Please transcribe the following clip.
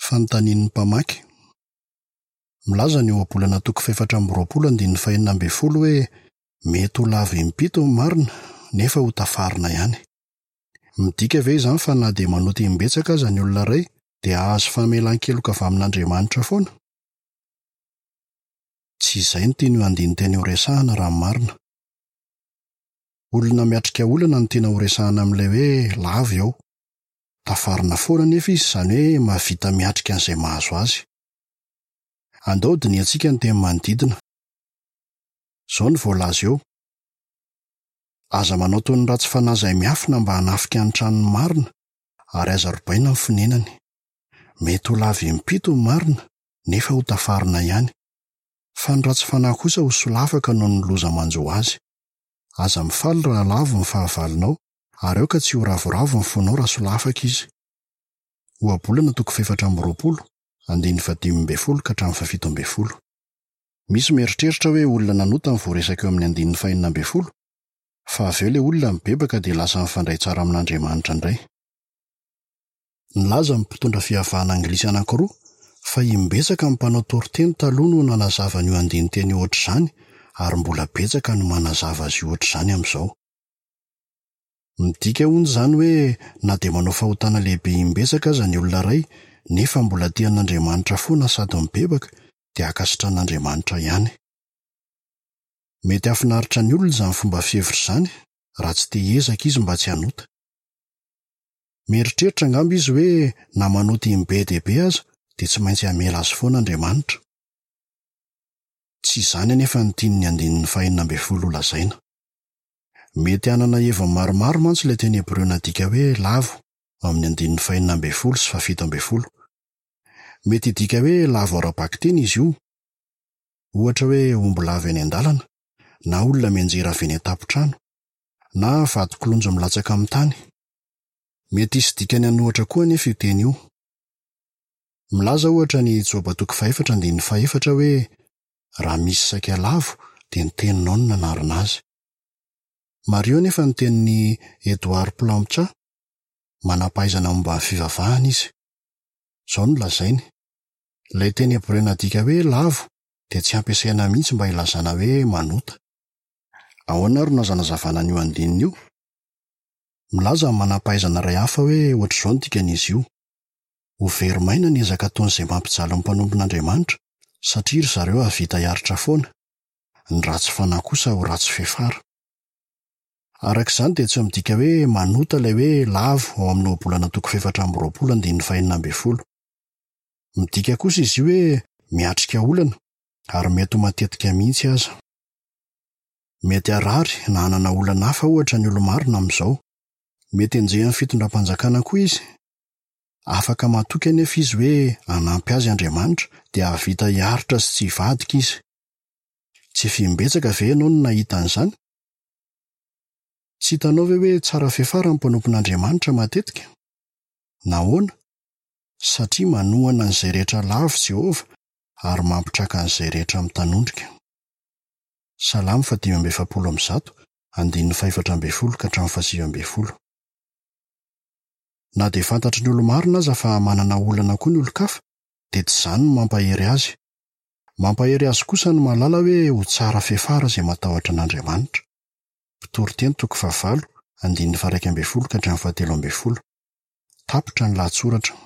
Fanontanian'ny mpamaky. Milaza ny ohabolana toko fahefatra amby 20 andininy fahenina ambin'ny folo hoe mety ho lavo impito ny marina nefa ho tafarina ihany. Midika ve izany fa na dia manota imbetsaka aza ny olona iray dia hahazo famelan-keloka avy amin'Andriamanitra foana? Tsy izay no tian'io andinin-teny io resahina raha ny marina. Olona miatrika olana no tiana horesahina amin'ilay hoe lavo eo. Tafarina foana anefa izy, izany hoe mahavita miatrika an'izay mahazo azy. Andao hodinihantsika ny teny manodidina. Izao no voalaza eo, Aza manao toy ny ratsy fanahy izay miafina mba hanafika ny tranon'ny marina, ary aza robaina ny fonenany. Mety ho lavo impito ny marina, nefa ho tafarina ihany. Fa ny ratsy fanahy kosa ho solafaka noho ny loza manjo azy. Aza mifaly raha lavo ny fahavalonao, ary aoka tsy ho ravoravo ny fonao raha solafaka izy. Ohabolana toko fahefatra amby 20, andininy fahadimy ambin'ny folo ka hatramin'ny fahafito ambin'ny folo. Misy mieritreritra hoe olona nanota no voaresaka eo amin'ny andininy fahenina ambin'ny folo, fa avy eo ilay olona mibebaka dia lasa mifandray tsara amin'Andriamanitra indray. Nilaza ny mpitondra fiavahana anglisy anankiroa fa imbetsaka ny mpanao toriteny taloha no nanazava an'io andinin-teny io hoatr'izany ary mbola betsaka no manazava azy io hoatr'izany amin'izao. Midika hono izany hoe na dia manao fahotana lehibe imbetsaka aza ny olona iray nefa mbola tia an'Andriamanitra foana sady mibebaka dia ankasitran'Andriamanitra ihany. Mety hahafinaritra ny olona izany fomba fihevitra izany raha tsy te hiezaka izy mba tsy hanota. Mieritreritra angamba izy hoe na manota im-be dia be aza dia tsy maintsy hamela azy foana Andriamanitra. Tsy izany anefa no tian'ny andininy fahenina ambin'ny folo holazaina. Mety hanana heviny maromaro mantsy ilay teny hebreo nadika hoe lavo ao amin'ny andininy fahenina ambin'ny folo sy fahafito ambin'ny folo. Mety hidika hoe lavo ara-bakiteny izy io, ohatra hoe omby lavo eny an-dalana, na olona mianjera avy eny an-tampon-trano, na vato kilonjy milatsaka amin'ny tany. Mety hisy dikany an'ohatra koa anefa io teny io. Milaza, ohatra, ny Joba toko fahefatra andininy fahefatra hoe, Raha misy saika lavo, dia ny teninao no nanarina azy. Mariho anefa ny tenin'i Edward Plancha, manam-pahaizana momba ny fivavahana izy. Izao no lazainy, Ilay teny hebreo nadika hoe lavo dia tsy ampiasaina mihitsy mba hilazana hoe manota. Ahoana àry no azo anazavana an'io andininy io? Milaza ny manam-pahaizana iray hafa hoe hoatr'izao ny dikan'izy io, Ho very maina ny ezaka ataon'izay mampijaly ny mpanompon'Andriamanitra, satria ry zareo hahavita hiaritra foana. Ny ratsy fanahy kosa ho ratsy fiafara. Araka izany dia tsy midika hoe manota ilay hoe lavo ao amin'ny Ohabolana toko fahefatra amby 20 andininy fahenina ambin'ny folo. Midika kosa izy io hoe miatrika olana, ary mety ho matetika mihitsy aza. Mety harary na hanana olana hafa ohatra ny olo-marina amin'izao. Mety henjehin'ny fitondram-panjakana koa izy. Afaka matoky anefa izy hoe hanampy azy Andriamanitra, dia hahavita hiaritra sy tsy hivadika izy. Tsy efa imbetsaka ve ianao no nahita an'izany? Tsy hitanao ve hoe tsara fiafara ny mpanompon'Andriamanitra matetika? Nahoana? Satria manohana an'izay rehetra lavo Jehovah ary mampitraka an'izay rehetra mitanondrika. Salamo faha-145, andininy faha-14 ka hatramin'ny faha-19. Na dia fantatry ny olo-marina aza fa manana olana koa ny olon-kafa, dia tsy izany no mampahery azy. Mampahery azy kosa ny mahalala hoe ho tsara fiafara izay matahotra an'Andriamanitra. Mpitoriteny toko fahavalo, andininy faha-11 ka hatramin'ny fahatelo ambin'ny folo. Tapitra ny lahatsoratra.